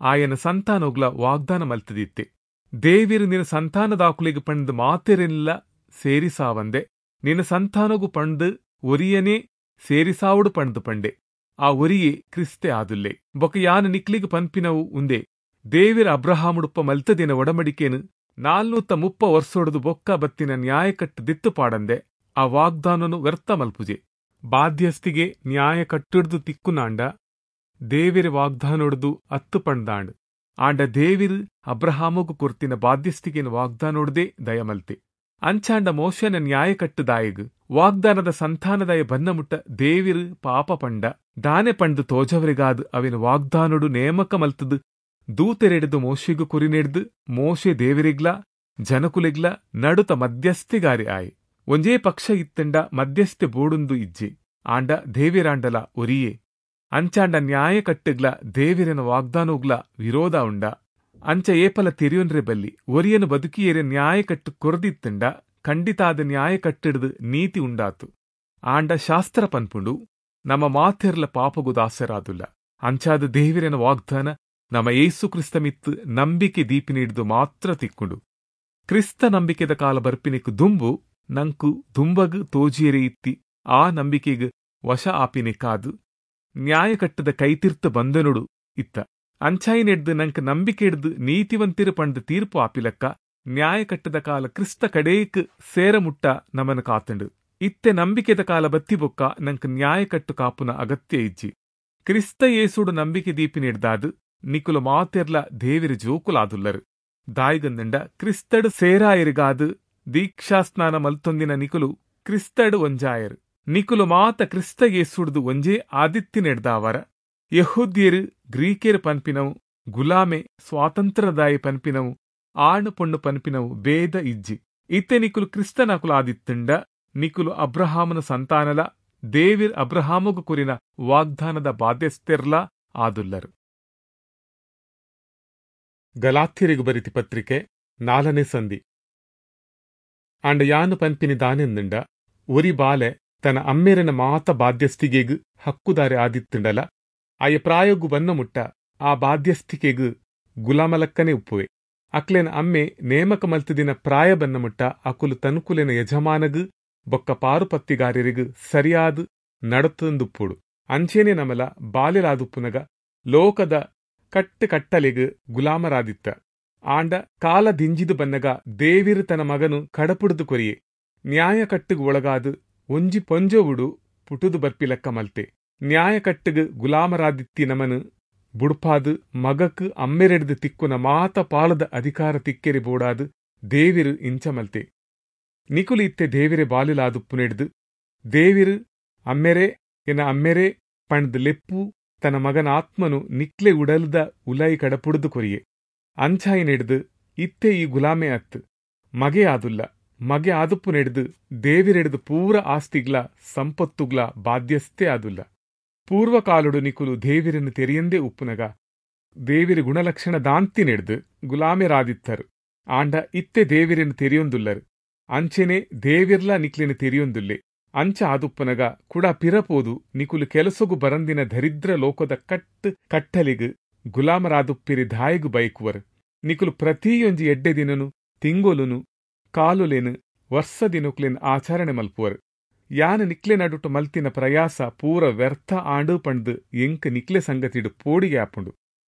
ಆಯನ ಸಂತಾನೋಗ್ಲ ವಾಗ್ದಾನ ಮಲ್ತದಿತ್ತೆ. ದೇವಿರು ನಿನ್ನ ಸಂತಾನದಾಕುಲೆಗ್ ಪಂಡ್ ಮಾತೆರೆಲ್ಲ ಸೇರಿಸಾವಂದೆ ನಿನ್ನ ಸಂತಾನಗು ಪಂಡ್ ಒರಿಯನೇ ಸೇರಿಸಾವುಡು ಪಂಡ್ದು ಪಂಡೆ. ಆ ಒರಿಯೇ ಕ್ರಿಸ್ತೆ ಆದುಲ್ಲೆ. ಬೊಕ ಯಾನು ನಿಕ್ಲಿಗ್ ಪನ್ಪಿನವು ಉಂದೆ, ದೇವಿರ ಅಬ್ರಹಾಮುಡುಪ್ಪ ಮಲ್ತದಿನ ಒಡಮಡಿಕೇನು ನಾಲ್ನೂತ ಮುಪ್ಪ ವರ್ಷೊಡ್ದು ಬೊಕ್ಕ ಬತ್ತಿನ ನ್ಯಾಯಕಟ್ಟು ದಿತ್ತು ಪಾಡಂದೆ ಆ ವಾಗ್ದಾನನು ವ್ಯರ್ಥ ಮಲ್ಪುಜೆ. ಬಾಧ್ಯಸ್ಥಿಗೆ ನ್ಯಾಯ ಕಟ್ಟುಡ್ದು ತಿಕ್ಕುನಾಂಡ ದೇವಿರ ವಾಗ್ದಾನೊಡ್ದು ಅತ್ತು ಪಂಡ್ದಾಂಡ್. ಆಂಡ ದೇವಿರು ಅಬ್ರಹಾಮಗು ಕೊರ್ತಿನ ಬಾಧ್ಯಸ್ಥಿಗೇನು ವಾಗ್ದಾನೊಡ್ದೇ ದಯಮಲ್ತೆ. ಅಂಚಾಂಡ ಮೋಶನ ನ್ಯಾಯ ಕಟ್ಟುದಾಯಗ್ ವಾಗ್ದಾನದ ಸಂತಾನದಾಯ ಬನ್ನಮುಟ್ಟ ದೇವಿರು ಪಾಪ ಪಂಡ ದಾನೆ ಪಂಡು ತೋಜವರಿಗಾದು ಅವಿನ ವಾಗ್ದಾನೊಡು ನೇಮಕ ಮಲ್ತದು ದೂತೆರೆಡ್ದು ಮೋಶೆಗು ಕುರಿನೆಡ್ದು ಮೋಶೆ ದೇವರಿಗ್ಲ ಜನಕುಲೆಗ್ಲ ನಡುತ ಮಧ್ಯಸ್ಥಿಗಾರಿ ಆಯ್. ಒಂಜೇ ಪಕ್ಷ ಇತ್ತಂಡ ಮಧ್ಯಸ್ಥೆ ಬೋಡುಂದು ಇಜ್ಜೆ, ಆಂಡ ದೇವಿರಾಂಡಲ ಒರಿಯೇ. ಅಂಚಾಂಡ ನ್ಯಾಯ ಕಟ್ಟುಗ್ಲ ದೇವಿರನ ವಾಗ್ದಾನೋಗ್ಲ ವಿರೋಧ ಉಂಡ. ಅಂಚ ಏಪಲ ತೆರಿಯೊನ್ರೆ ಬಲ್ಲಿ ಒರಿಯನು ಬದುಕಿಯೇರೆ ನ್ಯಾಯ ಕಟ್ಟು ಕೊರದಿತ್ತಂಡ ಖಂಡಿತಾದ ನ್ಯಾಯ ಕಟ್ಟಿಡ್ದು ನೀತಿ ಉಂಡಾತು. ಆಂಡ ಶಾಸ್ತ್ರ ಪನ್ಪುಂಡು ನಮ್ಮ ಮಾತೆರ್ಲ ಪಾಪಗು ದಾಸರಾದುಲ್ಲ. ಅಂಚಾದ ದೇವಿರನ ವಾಗ್ದಾನ ನಮ್ಮ ಏಸು ಕ್ರಿಸ್ತಮಿತ್ತು ನಂಬಿಕೆ ದೀಪಿನಿಡ್ದು ಮಾತ್ರ ತಿಕ್ಕೊಂಡು. ಕ್ರಿಸ್ತ ನಂಬಿಕೆದ ಕಾಲ ಬರ್ಪಿನಿಕ್ ದುಂಬು ನಂಕು ದುಂಬಗ್ ತೋಜಿಯರೆ ಇತ್ತಿ ಆ ನಂಬಿಕೆಗ್ ವಶ ಆಪಿನಿಕಾದು ನ್ಯಾಯಕಟ್ಟದ ಕೈತೀರ್ಥ ಬಂಧನುಡು ಇತ್ತ. ಅಂಚಾಯಿನೆಡ್ದು ನಂಕ್ ನಂಬಿಕೆ ಹಿಡ್ದು ನೀತಿವಂತಿರು ಪಂಡ್ ತೀರ್ಪು ಆಪಿಲಕ್ಕ ನ್ಯಾಯಕಟ್ಟದ ಕಾಲ ಕ್ರಿಸ್ತ ಕಡೇಕ್ ಸೇರಮುಟ್ಟ ನಮನ ಕಾತಂಡು. ಇತ್ತೆ ನಂಬಿಕೆದ ಕಾಲ ಬತ್ತಿ ಬೊಕ್ಕ ನಂಕ್ ನ್ಯಾಯಕಟ್ಟು ಕಾಪುನ ಅಗತ್ಯ ಇಜ್ಜಿ. ಕ್ರಿಸ್ತ ಯೇಸುಡು ನಂಬಿಕೆ ದೀಪಿನಿಡ್ದಾದು ನಿಕುಲು ಮಾತೆರ್ಲ ದೇವಿರ ಜೋಕುಲಾದುಲ್ಲರು. ದಾಯಿಗಂದಂಡ ಕ್ರಿಸ್ತಡು ಸೇರಾಯರಿಗಾದು ದೀಕ್ಷಾಸ್ನಾನ ಮಲ್ತೊಂದಿನ ನಿಕುಲು ಕ್ರಿಸ್ತಡು ಒಂಜಾಯರು. ನಿಕುಲು ಮಾತ ಕ್ರಿಸ್ತ ಯೇಸುಡ್ದು ಒಂಜೇ ಆದಿತ್ತಿನೆಡ್ದಾವರ. ಯಹೂದ್ಯರು ಗ್ರೀಕೆರು ಪನ್ಪಿನವು, ಗುಲಾಮೆ ಸ್ವಾತಂತ್ರ್ಯದಾಯ ಪನ್ಪಿನವು, ಆಣು ಪೊಣ್ಣು ಪನ್ಪಿನವು ಭೇದ ಇಜ್ಜಿ. ಇತ್ತೆ ನಿಕುಲು ಕ್ರಿಸ್ತನಕುಲು ಆದಿತ್ತಂಡ ನಿಕುಲು ಅಬ್ರಹಾಮನ ಸಂತಾನಲ ದೇವಿರ್ ಅಬ್ರಹಾಮಗು ಕುರಿನ ವಾಗ್ದಾನದ ಬಾಧ್ಯಸ್ಥೆರ್ಲ ಆದುಲ್ಲರು. ಗಲಾತ್ಯರಿಗು ಬರಿತಿ ಪತ್ರಿಕೆ ನಾಲ್ಕನೇ ಸಂಧಿ. ಆಂಡ ಯಾನು ಪನ್ಪಿನಿ ದಾನೆಂದಂಡ ಒರಿ ಬಾಲೆ ತನ್ನ ಅಮ್ಮೇರನ ಮಾತ ಬಾಧ್ಯಸ್ಥಿಗೆಗ್ ಹಕ್ಕುದಾರೆ ಆದಿತ್ತಂಡಲ ಆಯ ಪ್ರಾಯೋಗು ಬನ್ನ ಮುಟ್ಟ ಆ ಬಾಧ್ಯಸ್ಥಿಕೆಗ್ ಗುಲಾಮಲಕ್ಕನೆ ಉಪ್ಪುವೆ. ಅಕ್ಲೆನ ಅಮ್ಮೆ ನೇಮಕ ಮಲ್ತದಿನ ಪ್ರಾಯ ಬನ್ನ ಮುಟ್ಟ ಅಕುಲು ತನುಕುಲೆನ ಯಜಮಾನಗ್ ಬೊಕ್ಕ ಪಾರುಪತ್ತಿಗಾರರಿಗ್ ಸರಿಯಾದ ನಡತಂದುಪ್ಪುಡು. ಅಂಚೇನೆ ನಮಲ ಬಾಲ್ಯರಾದುಪ್ಪುನಗ ಲೋಕದ ಕಟ್ಟು ಕಟ್ಟಲೆಗ್ ಗುಲಾಮರಾದಿತ್ತ. ಆಂಡ ಕಾಲ ದಿಂಜಿದು ಬನ್ನಗ ದೇವಿರು ತನ್ನ ಮಗನು ಕಡಪುಡ್ದು ಕೊರಿಯೆ. ನ್ಯಾಯ ಕಟ್ಟುಗ್ ಒಳಗಾದು ಒಂಜಿ ಪೊಂಜೊವುಡು ಪುಟುದು ಬರ್ಪಿಲಕ್ಕ ಮಲ್ತೆ. ನ್ಯಾಯ ಕಟ್ಟುಗ್ ಗುಲಾಮರಾದಿತ್ತಿ ನಮನು ಬುಡ್ಪಾದು ಮಗಕ್ ಅಮ್ಮೆರೆಡ್ದು ತಿಕ್ಕುನ ಮಾತ ಪಾಲದ ಅಧಿಕಾರ ತಿಕ್ಕೆರಿ ಬೋಡಾದು ದೇವಿರು ಇಂಚ ಮಲ್ತೆ. ನಿಕುಲು ಇತ್ತೆ ದೇವಿರೆ ಬಾಲಿಲಾದುಪ್ಪುನೆಡ್ದು ದೇವಿರು ಅಮ್ಮೆರೆ ಎನ್ನ ಅಮ್ಮೆರೆ ಪಂಡ್ದು ಲೆಪ್ಪು ತನ್ನ ಮಗನ ಆತ್ಮನು ನಿಕ್ಲೆ ಉಡಲ್ದ ಉಲೈ ಕಡಪುಡ್ದು ಕೊರಿಯೆ. ಅಂಚಾಯಿನೆಡ್ದು ಇತ್ತೆ ಈ ಗುಲಾಮೆ ಅತ್ತು ಮಗೆ ಆದುಲ್ಲ. ಮಗೆ ಆದುಪ್ಪು ನೆಡ್ದು ದೇವಿರೆಡ್ದು ಪೂರ ಆಸ್ತಿಗ್ಲ ಸಂಪತ್ತುಗ್ಲ ಬಾಧ್ಯಸ್ಥೆ ಆದುಲ್ಲ. ಪೂರ್ವಕಾಲುಡು ನಿಕುಲು ದೇವಿರನ್ನು ತೆರಿಯಂದೇ ಉಪ್ಪುನಗ ದೇವಿರ ಗುಣಲಕ್ಷಣ ದಾಂತಿ ನೆಡ್ದು ಗುಲಾಮೆರಾದಿತ್ತರು. ಆಂಡ ಇತ್ತೆ ದೇವಿರನ್ನು ತೆರಿಯೊಂದುಲ್ಲರು. ಅಂಚೆನೆ ದೇವಿರ್ಲ ನಿಕ್ಲೆನ ತೆರಿಯೊಂದುಲ್ಲೆ. ಅಂಚ ಆದುಪ್ಪನಗ ಕುಡ ಪಿರಪೋದು ನಿಕುಲು ಕೆಲಸಗು ಬರಂದಿನ ದರಿದ್ರ ಲೋಕದ ಕಟ್ ಕಟ್ಟಲಿಗ್ ಗುಲಾಮರಾದುಪ್ಪಿರಿ ದಾಯಿಗು ಬಯಕುವರು. ನಿಕುಲು ಪ್ರತಿಯೊಂಜಿ ಎಡ್ಡೆ ದಿನನು ತಿಂಗೊಲುನು ಕಾಲುಲೆನು ವರ್ಷ ದಿನಕ್ಲೆನ್ ಆಚರಣೆ ಮಲ್ಪುವರು. ಯಾನ ನಿಕ್ಲೆ ನಡುಟು ಮಲ್ತಿನ ಪ್ರಯಾಸ ಪೂರ ವ್ಯರ್ಥ ಆಂಡು ಪಂಡ್ದು ಎಂಕ್ ನಿಕ್ಲೆ ಸಂಗತಿಡು ಪೋಡಿಗೆ ಆಪುಂಡು.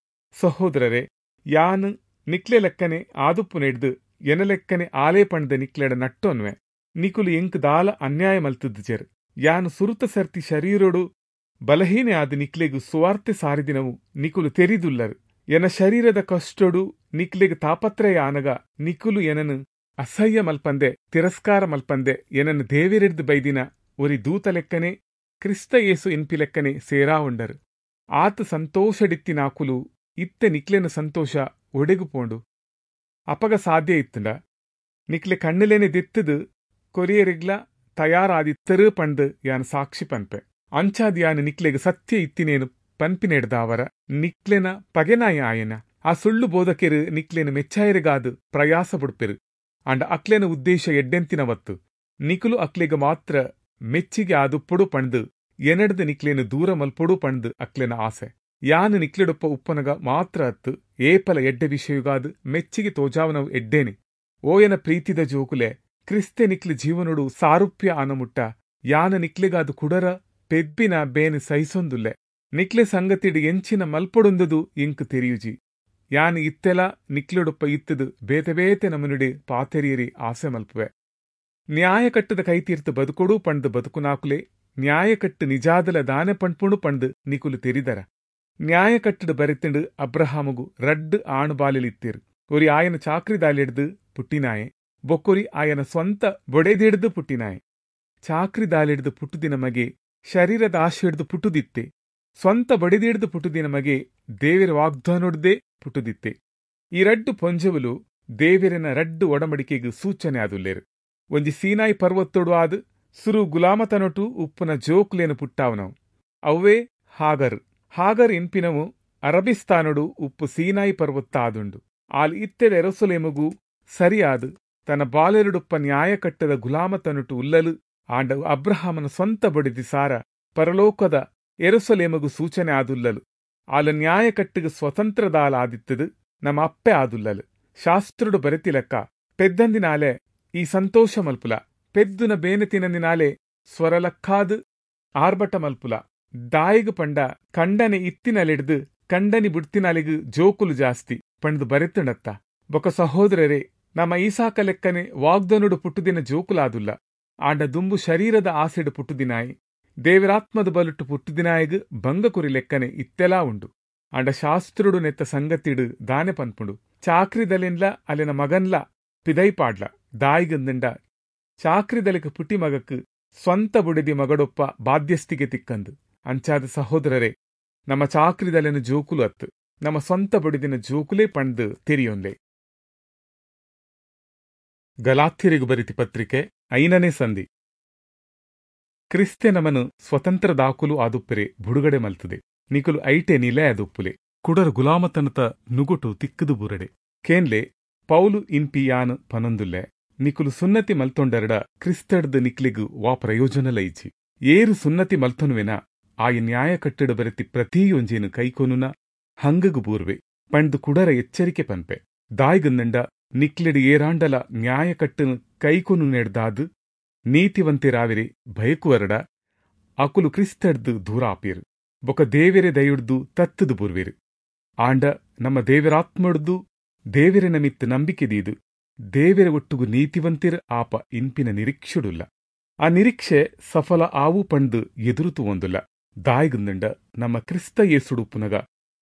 ಸಹೋದರರೇ, ಯಾನ್ ನಿಕ್ಲೆ ಲೆಕ್ಕನೆ ಆದುಪ್ಪು ನೆಡ್ದು ಎನ ಲೆಕ್ಕನೆ ಆಲೇ ಪಂಡ್ದ ನಿಕ್ಲೆಡ ನಟ್ಟೊನ್ವೆ. ನಿಕುಲು ಎಂಕ್ ದಾಲ ಅನ್ಯಾಯ ಮಲ್ತದ್ಜೆರ್. ಯಾನ್ ಸುರುತ ಸರ್ತಿ ಶರೀರೊಡು ಬಲಹೀನೆ ಆದ ನಿಕ್ಲೆಗು ಸುವಾರ್ತೆ ಸಾರಿದಿನವು ನಿಕುಲು ತೆರಿದುಲ್ಲರು. ಎನ ಶರೀರದ ಕಷ್ಟೊಡು ನಿಕ್ಲೆಗ್ ತಾಪತ್ರಯ ಆನಗ ನಿಕುಲು ಎನನು ಅಸಹ್ಯ ಮಲ್ಪಂದೆ ತಿರಸ್ಕಾರ ಮಲ್ಪಂದೆ ಎನನು ದೇವೆರೆಡ್ದ್ ಬೈದಿನ ಒರಿ ದೂತ ಲೆಕ್ಕನೆ ಕ್ರಿಸ್ತ ಯೇಸು ಇನ್ಪಿ ಲೆಕ್ಕನೆ ಸೇರಾವುಂಡರು. ಆತ ಸಂತೋಷಡಿತ್ತಿನಾಕುಲು ಇತ್ತೆ ನಿಕ್ಲೆನ ಸಂತೋಷ ಒಡೆಗು ಪೋಂಡು. ಅಪಗ ಸಾಧ್ಯ ಇತ್ತಂಡ ನಿಕ್ಲೆ ಕಣ್ಣುಲೇನೆ ದೆತ್ತದು ಕೊರಿಯರಿಗ್ಲ ತಯಾರಾದಿತ್ತರು ಪಂಡ್ ಯಾನ್ ಸಾಕ್ಷಿ ಪನ್ಪೆ. ಅಂಚಾದ್ ಯಾನ್ ನಿಕ್ಲೆಗ್ ಸತ್ಯ ಇತ್ತಿನೇನು ಪನ್ಪಿನೆಡ್ದಾವರ ನಿಕ್ಲೆನ ಪಗೆನಾಯ ಆಯನ ಆ ಸುಳ್ಳು ಬೋಧಕೆರು ನಿಕ್ಲೆನ ಮೆಚ್ಚಾಯರಿಗಾದ್ ಪ್ರಯಾಸ ಪಡ್ಪೆರು. ಅಂಡ ಅಕ್ಲೆನ ಉದ್ದೇಶ ಎಡ್ಡೆಂತಿನವತ್ತು ನಿಕುಲು ಅಕ್ಲೆಗ್ ಮಾತ್ರ ಮೆಚ್ಚಿಗೆ ಆದುಪ್ಪೊಡು ಪಂಡ್ ಎನಡ್ದು ನಿಕ್ಲೆನ ದೂರ ಮಲ್ಪೊಡು ಪಂಡ್ ಅಕ್ಲೆನ ಆಸೆ. ಯಾನ್ ನಿಕ್ಲೆಡೊಪ್ಪ ಉಪ್ಪನಗ ಮಾತ್ರ ಅತ್ತು ಏಪಲ ಎಡ್ಡೆ ವಿಷಯಗಾದ್ ಮೆಚ್ಚಿಗೆ ತೋಜಾವನವು ಎಡ್ಡೇನೆ. ಓಯನ ಪ್ರೀತಿದ ಜೋಕುಲೆ, ಕ್ರಿಸ್ತೆ ನಿಕ್ಲೆ ಜೀವನೊಡು ಸಾರುಪ್ಯ ಆನಮುಟ್ಟ ಯಾನ ನಿಕ್ಲೆಗಾದ್ ಕುಡರ ಪೆದ್ಬಿನ ಬೇನೆ ಸಹಿಸೊಂದುಲ್ಲೆ. ನಿಕ್ಲೆ ಸಂಗತಿಡ್ ಎಂಚಿನ ಮಲ್ಪೊಡುಂದುದು ಇಂಕ್ ತೆರಿಯುಜಿ. ಯಾನ್ ಇತ್ತೆಲ ನಿಕ್ಲೆಡೊಪ್ಪ ಇತ್ತದು ಬೇತೆ ಬೇತೆ ನಮನುಡೆ ಪಾತೆರಿಯರಿ ಆಸೆ ಮಲ್ಪುವೆ. ನ್ಯಾಯಕಟ್ಟದ ಕೈತೀರ್ತು ಬದುಕೊಡು ಪಂಡ್ ಬದುಕುನಾಕುಲೆ ನ್ಯಾಯಕಟ್ಟು ನಿಜಾದಲ ದಾನೆ ಪಣ್ಪುಣು ಪಂಡ್ ನಿಕುಲು ತೆರಿದರ. ನ್ಯಾಯಕಟ್ಟಡು ಬರೆತಿಂಡು ಅಬ್ರಹಾಮಗು ರಡ್ಡ್ ಆಣುಬಾಲೆಲಿತ್ತೇರು. ಒರಿ ಆಯನ ಚಾಕ್ರಿದಾಲೆಡ್ದು ಪುಟ್ಟಿನಾಯೆ, ಬೊಕ್ಕೊರಿ ಆಯನ ಸ್ವಂತ ಬೊಡೆದಿಡ್ದು ಪುಟ್ಟಿನಾಯೆ. ಚಾಕ್ರಿದಾಲೆಡ್ದು ಪುಟ್ಟುದಿನ ಮಗೆ ಶರೀರದ ಆಶೆಡ್ದು ಪುಟ್ಟುದಿತ್ತೆ, ಸ್ವಂತ ಬೊಡೆದಿಡ್ದು ಪುಟ್ಟುದಿನ ಮಗೆ ದೇವೆರ ವಾಗ್ದಾನೊಡ್ದೇ ಪುಟ್ಟುದಿತ್ತೆ. ಈ ರಡ್ಡು ಪೊಂಜೆವುಲು ದೇವೆರನ ರಡ್ಡು ಒಡಂಬಡಿಕೆಗೆ ಸೂಚನೆ ಆದುಲ್ಲೇರು. ಒಂಜಿ ಸೀನಾಯಿ ಪರ್ವತೊಡು ಆದ್ ಸುರು ಗುಲಾಮತನೊಟು ಉಪ್ಪುನ ಜೋಕ್ಲೇನು ಪುಟ್ಟಾವನವು ಅವೇ ಹಾಗರ್. ಹಾಗರ್ ಇನ್ಪಿನವು ಅರಬಿಸ್ತಾನೊಡು ಉಪ್ಪು ಸೀನಾಯಿ ಪರ್ವತ ಆದುಂಡು. ಆಲ್ ಇತ್ತೆದ ಎರುಸಲೇಮುಗು ಸರಿಯಾದ ತನ್ನ ಬಾಲೆರುಡುಪ್ಪ ನ್ಯಾಯಕಟ್ಟದ ಗುಲಾಮತನೊಟು ಉಲ್ಲಲು. ಆಂಡ ಅಬ್ರಹಾಮನ ಸ್ವಂತ ಬೊಡೆದಿ ಸಾರ ಪರಲೋಕದ ಎರುಸಲೇಮುಗು ಸೂಚನೆ ಆದುಲ್ಲಲು. ಆಲ ನ್ಯಾಯಕಟ್ಟಿಗೆ ಸ್ವತಂತ್ರದಾಲ ಆದಿತ್ತದು ನಮ್ಮ ಅಪ್ಪೆ ಆದುಲ್ಲಲು. ಶಾಸ್ತ್ರುಡು ಬರೆತಿಲಕ್ಕ ಪೆದ್ದಂದಿನಾಲೆ ಈ ಸಂತೋಷ ಮಲ್ಪುಲ, ಪೆದ್ದುನ ಬೇನೆ ತಿನಂದಿನಾಲೆ ಸ್ವರಲಕ್ಕಾದು ಆರ್ಭಟ ಮಲ್ಪುಲ. ದಾಯಿಗು ಪಂಡ ಕಂಡನೆ ಇತ್ತಿನಲೆಡ್ದು ಕಂಡನಿ ಬುಡ್ತಿನಾಲೆಗು ಜೋಕುಲು ಜಾಸ್ತಿ ಪಂಡ್ದು ಬರೆತುಂಡತ್ತ. ಬೊಕ ಸಹೋದರರೇ, ನಮ್ಮ ಈಸಾಕ ಲೆಕ್ಕನೆ ವಾಗ್ದನುಡು ಪುಟ್ಟುದಿನ ಜೋಕುಲಾದುಲ್ಲ. ಆಂಡ ದುಂಬು ಶರೀರದ ಆಸೆಡು ಪುಟ್ಟುದಿನಾಯಿ ದೇವರಾತ್ಮದ ಬಲುಟ್ಟು ಪುಟ್ಟುದಿನಾಯಿಗ್ ಭಂಗ ಕುರಿ ಲೆಕ್ಕನೆ ಇತ್ತೆಲಾ ಉಂಡು. ಆಂಡ ಶಾಸ್ತ್ರುಡು ನೆತ್ತ ಸಂಗತಿಡು ದಾನೆ ಪನ್ಪುಂಡು, ಚಾಕ್ರಿದಲೆನ್ಲ ಅಲೆನ ಮಗನ್ಲ ಪಿದೈಪಾಡ್ಲ. ದಾಯಿಗಂದಂಡ ಚಾಕ್ರಿದಲೆಕ್ ಪುಟ್ಟಿ ಮಗಕ್ ಸ್ವಂತ ಬುಡೆದಿ ಮಗಡೊಪ್ಪ ಬಾಧ್ಯಸ್ಥಿಗೆ ತಿಕ್ಕಂದು. ಅಂಚಾದ ಸಹೋದರರೇ, ನಮ್ಮ ಚಾಕ್ರಿದಲೆನ ಜೋಕುಲು ಅತ್ತು ನಮ್ಮ ಸ್ವಂತ ಬುಡೆದಿನ ಜೋಕುಲೇ ಪಂಡ್ ತೆರಿಯೊನ್ಲೆ. ಗಲಾತ್ಯರಿಗು ಬರಿತಿ ಪತ್ರಿಕೆ ಐನನೇ ಸಂಧಿ. ಕ್ರಿಸ್ತೆ ನಮನು ಸ್ವತಂತ್ರ ದಾಕುಲು ಆದುಪ್ಪರೆ ಬುಡುಗಡೆ ಮಲ್ತದೆ. ನಿಕುಲು ಐಟೆ ನಿಲೆ ಆದುಪ್ಪುಲೆ ಕುಡರ ಗುಲಾಮತನತ ನುಗುಟು ತಿಕ್ಕದು ಬುರಡೆ. ಕೇನ್ಲೆ ಪೌಲು ಇನ್ಪಿ ಯಾನ್ ಪನೊಂದುಲ್ಲೆ, ನಿಕುಲು ಸುನ್ನತಿ ಮಲ್ತೊಂಡರಡ ಕ್ರಿಸ್ತಡ್ದು ನಿಕ್ಲಿಗು ವಾ ಪ್ರಯೋಜನ ಲೈಜಿ. ಏರು ಸುನ್ನತಿ ಮಲ್ತೊನುವೆನ ಆಯ ನ್ಯಾಯ ಕಟ್ಟಡ ಬರೆತಿ ಪ್ರತಿಯೊಂಜೇನು ಕೈಕೊನುನ ಹಂಗಗು ಬೂರ್ವೆ ಪಂಡ್ದು ಕುಡರ ಎಚ್ಚರಿಕೆ ಪನ್ಪೆ. ದಾಯ್ಗಂದಂಡ ನಿಕ್ಲೆಡು ಏರಾಂಡಲ ನ್ಯಾಯ ಕಟ್ಟನು ಕೈಕೊನು ನೆಡ್ದಾದು ನೀತಿವಂತೆರಾವಿರೆ ಭಯಕುವರಡ ಅಕುಲು ಕ್ರಿಸ್ತಡ್ದು ದೂರ ಆಪೇರು, ಬೊಕ ದೇವೆರೆ ದಯುಡ್ದು ತತ್ತದು ಬೂರ್ವೇರು. ಆಂಡ ನಮ್ಮ ದೇವರಾತ್ಮಡ್ದು ದೇವೆರೆ ನಮಿತ್ತು ನಂಬಿಕೆ ದೀದು ದೇವೆರೆ ಒಟ್ಟುಗು ನೀತಿವಂತಿರ್ ಆಪ ಇನ್ಪಿನ ನಿರೀಕ್ಷೆಡುಲ್ಲ. ಆ ನಿರೀಕ್ಷೆ ಸಫಲ ಆವು ಪಂಡ್ದು ಎದುರುತು ಒಂದುಲ್ಲ. ದಾಯ್ಗಂದಂಡ ನಮ್ಮ ಕ್ರಿಸ್ತ ಯೇಸುಡುಪ್ಪುನಗ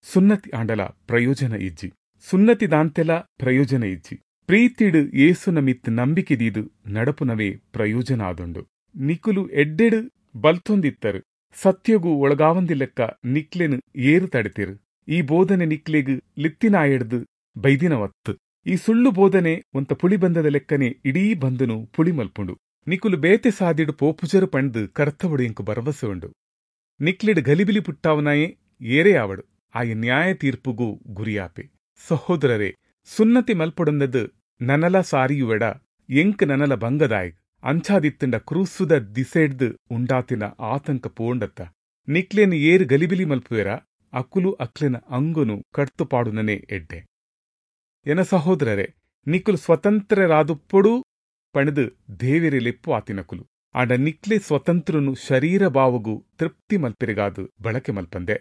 ಸುನ್ನತಿ ಆಂಡಲ ಪ್ರಯೋಜನ ಇಜ್ಜಿ, ಸುನ್ನತಿ ದಾಂತೆಲ ಪ್ರಯೋಜನ ಇಜ್ಜಿ. ಪ್ರೀತಿಡು ಯೇಸು ನಮಿತ್ ನಂಬಿಕೆ ದೀದು ನಡಪುನವೇ ಪ್ರಯೋಜನ ಆದುಂಡು. ನಿಕುಲು ಎಡ್ಡೆಡು ಬಲ್ತೊಂದಿತ್ತರು, ಸತ್ಯಗೂ ಒಳಗಾವಂದಿಲೆಕ್ಕ ನಿಕ್ಲೆನು ಏರು ತಡೆತಿರು. ಈ ಬೋಧನೆ ನಿಕ್ಲೆಗ್ ಲಿತ್ತಿನಾಯೆಡ್ದು ಬೈದಿನವತ್ತು. ಈ ಸುಳ್ಳು ಬೋಧನೆ ಒಂತ ಪುಳಿ ಬಂದದ ಲೆಕ್ಕನೆ ಇಡೀ ಬಂದನು ಪುಳಿ ಮಲ್ಪುಂಡು. ನಿಕುಲು ಬೇತೆ ಸಾದಿಡು ಪೋಪುಜರು ಪಂಡ್ದು ಕರ್ತವಡು ಇಂಕು ಭರವಸೆ ಉಂಡು. ನಿಕ್ಲೆಡು ಗಲಿಬಿಲಿ ಪುಟ್ಟಾವನಾಯೇ ಏರೇ ಆವಡು ಆಯ ನ್ಯಾಯ ತೀರ್ಪುಗೂ ಗುರಿಯಾಪೆ. ಸಹೋದರರೇ, ಸುನ್ನತಿ ಮಲ್ಪೊಡಂದದು ನನಲ ಸಾರಿಯುವೆಡ ಎಂಕ್ ನನಲ ಭಂಗದಾಯ್. ಅಂಚಾದಿತ್ತಂಡ ಕ್ರೂಸುದ ದಿಸೆಡ್ದು ಉಂಡಾತಿನ ಆತಂಕ ಪೋಂಡತ್ತ. ನಿಕ್ಲೆನ್ ಏರು ಗಲಿಬಿಲಿ ಮಲ್ಪುವೆರ ಅಕುಲು ಅಕ್ಲೆನ ಅಂಗುನು ಕಡ್ತುಪಾಡುನನೇ ಎಡ್ಡೆ. ಎನ ಸಹೋದರರೇ, ನಿಕುಲು ಸ್ವತಂತ್ರರಾದುಪ್ಪೊಡು ಪಣದು ದೇವೆರೆ ಲೆಪ್ಪು ಆತಿನಕುಲು. ಆಂಡ ನಿಕ್ಲೆ ಸ್ವತಂತ್ರನು ಶರೀರ ಭಾವಗು ತೃಪ್ತಿ ಮಲ್ಪೆರೆಗಾದು ಬಳಕೆ ಮಲ್ಪಂದೆ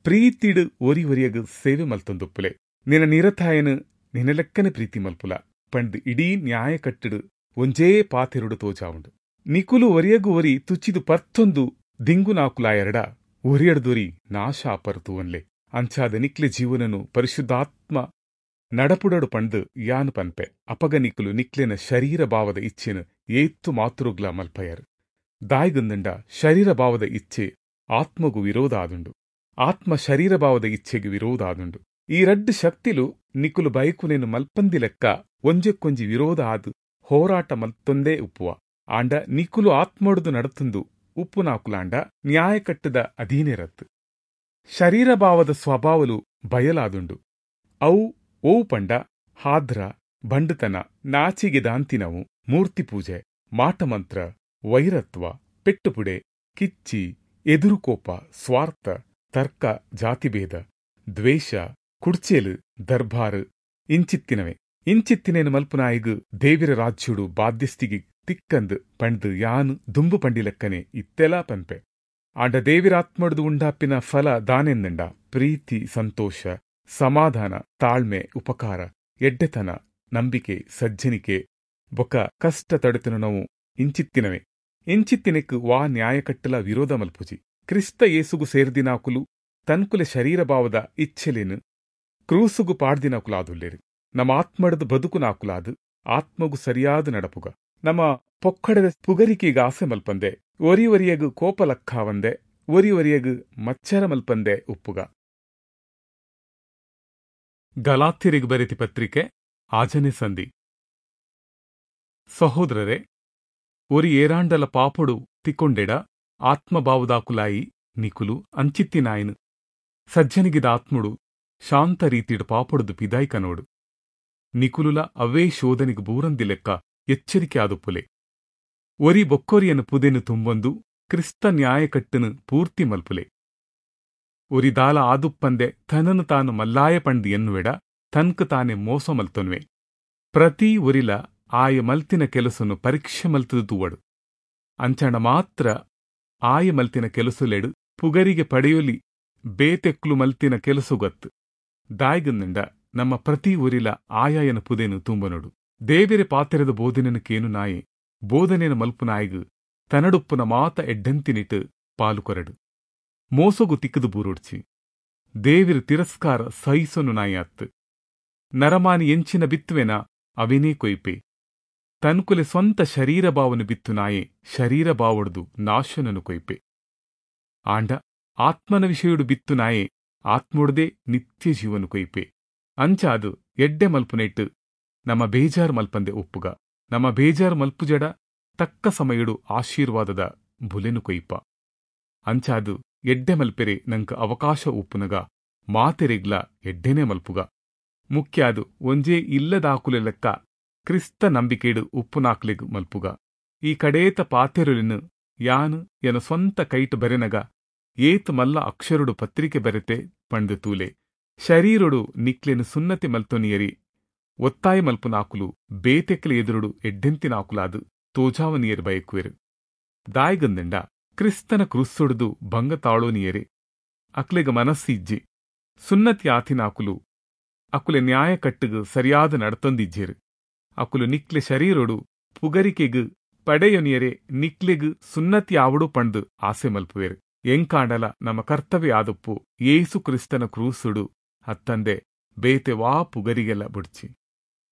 ಪ್ರೀತಿಡು ಒರಿ ಒರಿಯಗು ಸೇವೆ ಮಲ್ತೊಂದುಪ್ಪುಲೆ. ನಿನ್ನ ನಿರತಾಯನು ನಿನಲೆಕ್ಕನೆ ಪ್ರೀತಿ ಮಲ್ಪುಲ ಪಂಡ್ ಇಡೀ ನ್ಯಾಯ ಕಟ್ಟಡು ಒಂಜೇ ಪಾತೆರುಡು ತೋಜಾವುಂಡು. ನಿಕುಲು ಒರಿಯಗು ಒರಿ ತುಚ್ಚಿದು ಪರ್ತೊಂದು ದಿಂಗುನಾಕುಲಾಯರಡ ಒರಿಯಡ್ದೊರಿ ನಾಶ ಪರ್ತುವನ್ಲೆ. ಅಂಚಾದ ನಿಕ್ಲೆ ಜೀವನನು ಪರಿಶುದ್ಧಾತ್ಮ ನಡಪುಡಡು ಪಂಡ್ ಯಾನ್ ಪನ್ಪೆ. ಅಪಗ ನಿಕ್ಲು ನಿಕ್ಲೆನ ಶರೀರ ಭಾವದ ಇಚ್ಛೆನ ಏತ್ತು ಮಾತೃಗ್ಲ ಮಲ್ಪಯರು. ದಾಯ್ಗಂದಂಡ ಶರೀರ ಭಾವದ ಇಚ್ಛೆ ಆತ್ಮಗೂ ವಿರೋಧ ಆದುಂಡು, ಆತ್ಮ ಶರೀರ ಭಾವದ ಇಚ್ಛೆಗೆ ವಿರೋಧ ಆದುಂಡು. ಈ ರಡ್ಡು ಶಕ್ತಿಲು ನಿಕುಲು ಬೈಕುನೇನು ಮಲ್ಪಂದಿ ಲೆಕ್ಕ ಒಂಜೆಕ್ಕೊಂಜಿ ವಿರೋಧ ಆದು ಹೋರಾಟ ಮಲ್ತೊಂದೇ ಉಪ್ಪುವ. ಆಂಡ ನಿಕುಲು ಆತ್ಮೊಡುದು ನಡತುಂದು ಉಪ್ಪುನಾಕುಲಾಂಡ ನ್ಯಾಯಕಟ್ಟದ ಅಧೀನೆರತ್ತು. ಶರೀರಭಾವದ ಸ್ವಭಾವಲು ಬಯಲಾದುಂಡು. ಅವು ಓವು ಪಂಡ ಹಾದ್ರ, ಬಂಡುತನ, ನಾಚಿಗೆ ದಾಂತಿನವು, ಮೂರ್ತಿಪೂಜೆ, ಮಾಟಮಂತ್ರ, ವೈರತ್ವ, ಪೆಟ್ಟುಪುಡೆ, ಕಿಚ್ಚಿ, ಎದುರುಕೋಪ, ಸ್ವಾರ್ಥ, ತರ್ಕ, ಜಾತಿಭೇದ, ದ್ವೇಷ, ಕುಡ್ಚೇಲು, ದರ್ಬಾರು ಇಂಚಿತ್ತಿನವೆ. ಇಂಚಿತ್ತಿನೇನು ಮಲ್ಪುನಾಯಿಗು ದೇವಿರ ರಾಜ್ಯುಡು ಬಾಧ್ಯಸ್ಥಿಗೆ ತಿಕ್ಕಂದು ಪಂಡ್ದು ಯಾನು ದುಂಬು ಪಂಡಿಲೆಕ್ಕನೆ ಇತ್ತೆಲಾ ಪನ್ಪೆ. ಆಂಡ ದೇವಿರಾತ್ಮಡ್ದು ಉಂಡಾಪಿನ ಫಲ ದಾನೆಂದಂಡ ಪ್ರೀತಿ, ಸಂತೋಷ, ಸಮಾಧಾನ, ತಾಳ್ಮೆ, ಉಪಕಾರ, ಎಡ್ಡೆತನ, ನಂಬಿಕೆ, ಸಜ್ಜನಿಕೆ, ಬೊಕ ಕಷ್ಟ ತಡೆತನು ನಾವು ಇಂಚಿತ್ತಿನವೆ. ಇಂಚಿತ್ತಿನೆಕ್ ವಾ ನ್ಯಾಯಕಟ್ಟಲ ವಿರೋಧ ಮಲ್ಪುಜಿ. ಕ್ರಿಸ್ತ ಯೇಸುಗು ಸೇರ್ದಿನಾಕುಲು ತನ್ಕುಲೆ ಶರೀರಭಾವದ ಇಚ್ಛೆಲೇನು ಕ್ರೂಸುಗು ಪಾಡ್ದಿನಾಕುಲಾದುಲ್ಲೇರು. ನಮ್ಮ ಆತ್ಮಡದು ಬದುಕುನಾಕುಲಾದು ಆತ್ಮಗು ಸರಿಯಾದ ನಡಪುಗ. ನಮ್ಮ ಪೊಕ್ಕಡದ ಪುಗರಿಕೆಗೆ ಆಸೆ ಮಲ್ಪಂದೆ, ಒರಿ ಒರಿಯಗು ಕೋಪ ಲಕ್ಕಾವಂದೆ, ಒರಿ ಒರಿಯಗು ಮಚ್ಚರ ಮಲ್ಪಂದೆ ಉಪ್ಪುಗ. ಗಲಾತ್ಯರಿಗೆ ಬರೆತಿ ಪತ್ರಿಕೆ ಆಜನೆ ಸಂಧಿ. ಸಹೋದರರೇ, ಒರಿ ಏರಾಂಡಲ ಪಾಪೊಡು ತಿಕ್ಕೊಂಡೆಡ ಆತ್ಮಭಾವದಾಕುಲಾಯಿ ನಿಕುಲು ಅಂಚಿತ್ತಿನಾಯನು ಸಜ್ಜನಿಗಿದ ಆತ್ಮುಡು ಶಾಂತ ರೀತಿಡು ಪಾಪೊಡುದು ಪಿದಾಯ್ಕನೋಡು. ನಿಕುಲುಲ ಅವೇ ಶೋಧನಿಗೆ ಬೂರಂದಿ ಲೆಕ್ಕ ಎಚ್ಚರಿಕೆ ಆದುಪ್ಪುಲೆ. ಒರಿ ಬೊಕ್ಕೊರಿಯನು ಪುದೆನು ತುಂಬೊಂದು ಕ್ರಿಸ್ತ ನ್ಯಾಯಕಟ್ಟನು ಪೂರ್ತಿ ಮಲ್ಪುಲೆ. ಒರಿ ದಾಲ ಆದುಪ್ಪಂದೆ ತನನು ತಾನು ಮಲ್ಲಾಯ ಪಂಡ್ ಎನ್ನುವೆಡ ತನ್ಕು ತಾನೆ ಮೋಸ ಮಲ್ತೊನ್ವೆ. ಪ್ರತಿ ಒರಿಲ ಆಯ ಮಲ್ತಿನ ಕೆಲಸನು ಪರೀಕ್ಷೆ ಮಲ್ತದು ತೂವಡು. ಅಂಚಣ ಮಾತ್ರ ಆಯ ಮಲ್ತಿನ ಕೆಲಸುಲೆಡು ಪುಗರಿಗೆ ಪಡೆಯೊಲಿ ಬೇತೆಕ್ಲು ಮಲ್ತಿನ ಕೆಲಸುಗತ್ತು. ದಾಯ್ಗಂದಂಡ ನಮ್ಮ ಪ್ರತಿ ಒರಿಲ ಆಯಾಯನ ಪುದೆನು ತುಂಬನೋಡು. ದೇವೆರೆ ಪಾತೆರದ ಬೋಧನೆನು ಕೇನು ನಾಯೆ ಬೋಧನೆನ ಮಲ್ಪು ನಾಯಿಗು ತನಡುಪ್ಪುನ ಮಾತ ಎಡ್ಡೆಂತಿನಿಟ್ಟು ಪಾಲು ಕೊರಡು. ಮೋಸಗು ತಿಕ್ಕದು ಬೂರೊಡ್ಚಿ. ದೇವಿರು ತಿರಸ್ಕಾರ ಸಹಿಸೊನು ನಾಯಿ ಅತ್ತು. ನರಮಾನಿ ಎಂಚಿನ ಬಿತ್ತುವೆನ ಅವಿನೇ ಕೊಯ್ಪೆ. ತನ್ಕುಲೆ ಸ್ವಂತ ಶರೀರ ಭಾವನು ಬಿತ್ತು ನಾಯೆ ಶರೀರ ಭಾವೊಡ್ದು ನಾಶನನು ಕೊಯ್ಪೆ. ಆಂಡ ಆತ್ಮನ ವಿಷಯುಡು ಬಿತ್ತು ನಾಯೆ ಆತ್ಮೊಡ್ದೇ ನಿತ್ಯ ಜೀವನು ಕೊಯ್ಪೆ. ಅಂಚಾದು ಎಡ್ಡೆ ಮಲ್ಪುನೆಟ್ಟು ನಮ್ಮ ಬೇಜಾರು ಮಲ್ಪಂದೆ ಒಪ್ಪುಗ. ನಮ್ಮ ಬೇಜಾರು ಮಲ್ಪುಜಡ ತಕ್ಕ ಸಮಯಡು ಆಶೀರ್ವಾದದ ಬುಲೆನು ಕೊಯ್ಪ. ಅಂಚಾದು ಎಡ್ಡೆ ಮಲ್ಪೆರೆ ನಂಕ ಅವಕಾಶ ಉಪ್ಪುನಗ ಮಾತೆರೆಗ್ಲ ಎಡ್ಡೆನೆ ಮಲ್ಪುಗ. ಮುಖ್ಯ ಅದು ಒಂಜೇ ಇಲ್ಲದಾಕುಲೆ ಲೆಕ್ಕ ಕ್ರಿಸ್ತ ನಂಬಿಕೆಡು ಉಪ್ಪುನಾಕ್ಲೆಗ್ ಮಲ್ಪುಗ. ಈ ಕಡೇತ ಪಾತೆರುಲಿನು ಯಾನು ಎನ ಸ್ವಂತ ಕೈಟ್ ಬರೆನಗ ಏತ್ ಮಲ್ಲ ಅಕ್ಷರುಡು ಪತ್ರಿಕೆ ಬರೆತೆ ಪಂಡು ತೂಲೆ. ಶರೀರುಡು ನಿಕ್ಲೆನು ಸುನ್ನತಿ ಮಲ್ತೊನಿಯರಿ ಒತ್ತಾಯ ಮಲ್ಪುನಾಕುಲು ಬೇತೆಕ್ಲೆ ಎದುರುಡು ಎಡ್ಡೆಂತಿನಾಕುಲಾದು ತೋಜಾವನಿಯರು ಬಯಕುವೆರು. ದಾಯ್ಗಂದಂಡ ಕ್ರಿಸ್ತನ ಕ್ರುಸ್ಸುಡ್ದು ಭಂಗ ತಾಳೋನಿಯರೆ ಅಕ್ಲೆಗ ಮನಸ್ಸಿಜ್ಜಿ. ಸುನ್ನತಿ ಆತಿನಾಕುಲು ಅಕುಲೆ ನ್ಯಾಯ ಕಟ್ಟುಗು ಸರಿಯಾದ ನಡತೊಂದಿಜ್ಜೆರು. ಅಕುಲು ನಿಕ್ಲೆ ಶರೀರೊಡು ಪುಗರಿಕೆಗು ಪಡೆಯೊನಿಯರೆ ನಿಕ್ಲೆಗು ಸುನ್ನತಿ ಆವಡು ಪಂಡು ಆಸೆ ಮಲ್ಪುವೆರು. ಎಂಕಾಂಡಲ ನಮ್ಮ ಕರ್ತವ್ಯ ಆದಪ್ಪು ಯೇಸು ಕ್ರಿಸ್ತನ ಕ್ರೂಸುಡು ಅತ್ತಂದೆ ಬೇತೆ ವಾ ಪುಗರಿಗೆಲ್ಲ ಬುಡ್ಚಿ.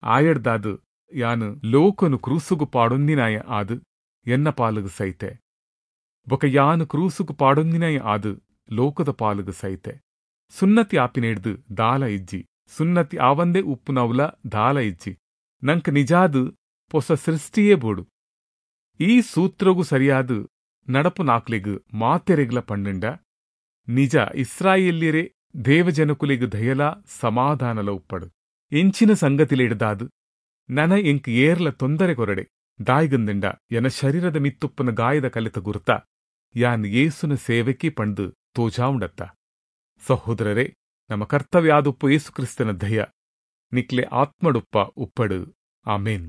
ಆಯಡ್ದಾದು ಯಾನು ಲೋಕನು ಕ್ರೂಸುಗು ಪಾಡೊಂದಿನಾಯ ಆದು ಎನ್ನ ಪಾಲುಗು ಸೈತೆ. ಬೊಕ ಯಾನು ಕ್ರೂಸುಗು ಪಾಡೊಂದಿನಾಯ ಆದು ಲೋಕದ ಪಾಲುಗು ಸೈತೆ. ಸುನ್ನತಿ ಆಪಿನೇಡ್ದು ದಾಲ ಇಜ್ಜಿ, ಸುನ್ನತಿ ಆವಂದೇ ಉಪ್ಪುನವುಲ ದಾಲ ಇಜ್ಜಿ. ನಂಕ ನಿಜಾದು ಪೊಸ ಸೃಷ್ಟಿಯೇ ಬೋಡು. ಈ ಸೂತ್ರಗೂ ಸರಿಯಾದ ನಡಪು ನಾಕ್ಲೆಗು ಮಾತೆರೆಗ್ಲ ಪಂಡುಂಡ ನಿಜ ಇಸ್ರಾಯೇಲ್ಯರೇ ದೇವಜನಕುಲೆಗು ದಯಲ ಸಮಾಧಾನಲ ಉಪ್ಪಡು. ಎಂಚಿನ ಸಂಗತಿಲಿಡ್ದಾದು ನನ ಎಂಕ್ ಏರ್ಲ ತೊಂದರೆ ಕೊರಡೆ. ದಾಯ್ಗಂದಂಡ ಎನ ಶರೀರದ ಮಿತ್ತುಪ್ಪನ ಗಾಯದ ಕಲಿತ ಗುರ್ತ ಯಾನ್ ಯೇಸುನ ಸೇವೆಕಿ ಪಂಡು ತೋಜಾವುಂಡತ್ತ. ಸಹೋದರರೇ, ನಮ್ಮ ಕರ್ತವ್ಯ ಆದುಪ್ಪು ಯೇಸು ಕ್ರಿಸ್ತನ ದಯ ನಿಕ್ಲೆ ಆತ್ಮಡುಪ್ಪ ಉಪ್ಪಡು. ಆಮೇನ್.